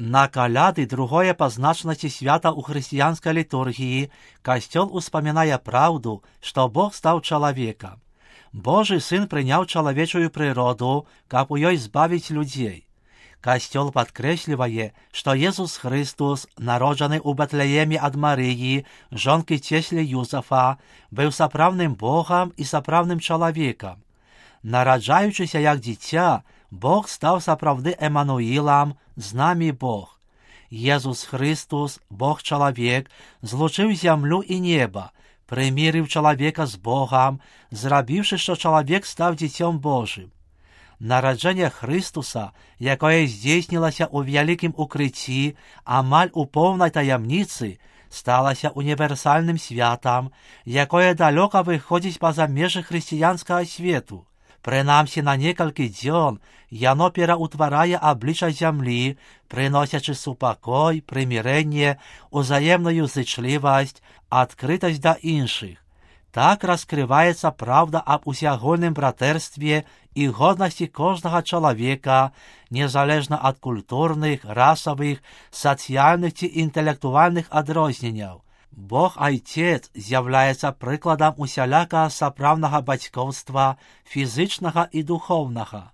На каляды, другое па значнасці свята ў хрысціянскай літургіі, Касцёл успамінае праўду, што Бог стаў чалавекам. Божы Сын прыняў чалавечую прыроду, каб у ёй збавіць людзей. Касцёл падкрэслівае, што Езус Хрыстус, народжаны ў Бэтлееме ад Марыі, жонкі цеслі Юзафа, быў сапраўдным Богам і сапраўдным чалавекам. Нараджаючыся як дзіця, Бог стаў сапраўды Эмануілам, з намі Бог. Езус Хрыстус, Бог-чалавек, злучыў зямлю і неба, прымірыў чалавека з Богам, зрабіўшы, што чалавек стаў дзіцём Божым. Нараджэнне Хрыстуса, якое здзейснілася ў вялікім укрыцці, амаль у поўнай таямніцы, сталася універсальным святам, якое далёка выходзіць па-за межы хрысціянскага свету. Прынамсі на некалькі дзён яно пераўтварае аблічча зямлі, прыносячы супакой, прымірэнне, узаемную зычлівасць, адкрытасць да іншых. Так раскрываецца праўда аб усеагульным братэрстве і годнасці кожнага чалавека, незалежна ад культурных, расавых, сацыяльных ці інтэлектуальных адрозненняў. Бог Айцец з'яўляецца прыкладам усялякага сапраўднага бацькоўства, фізычнага і духоўнага.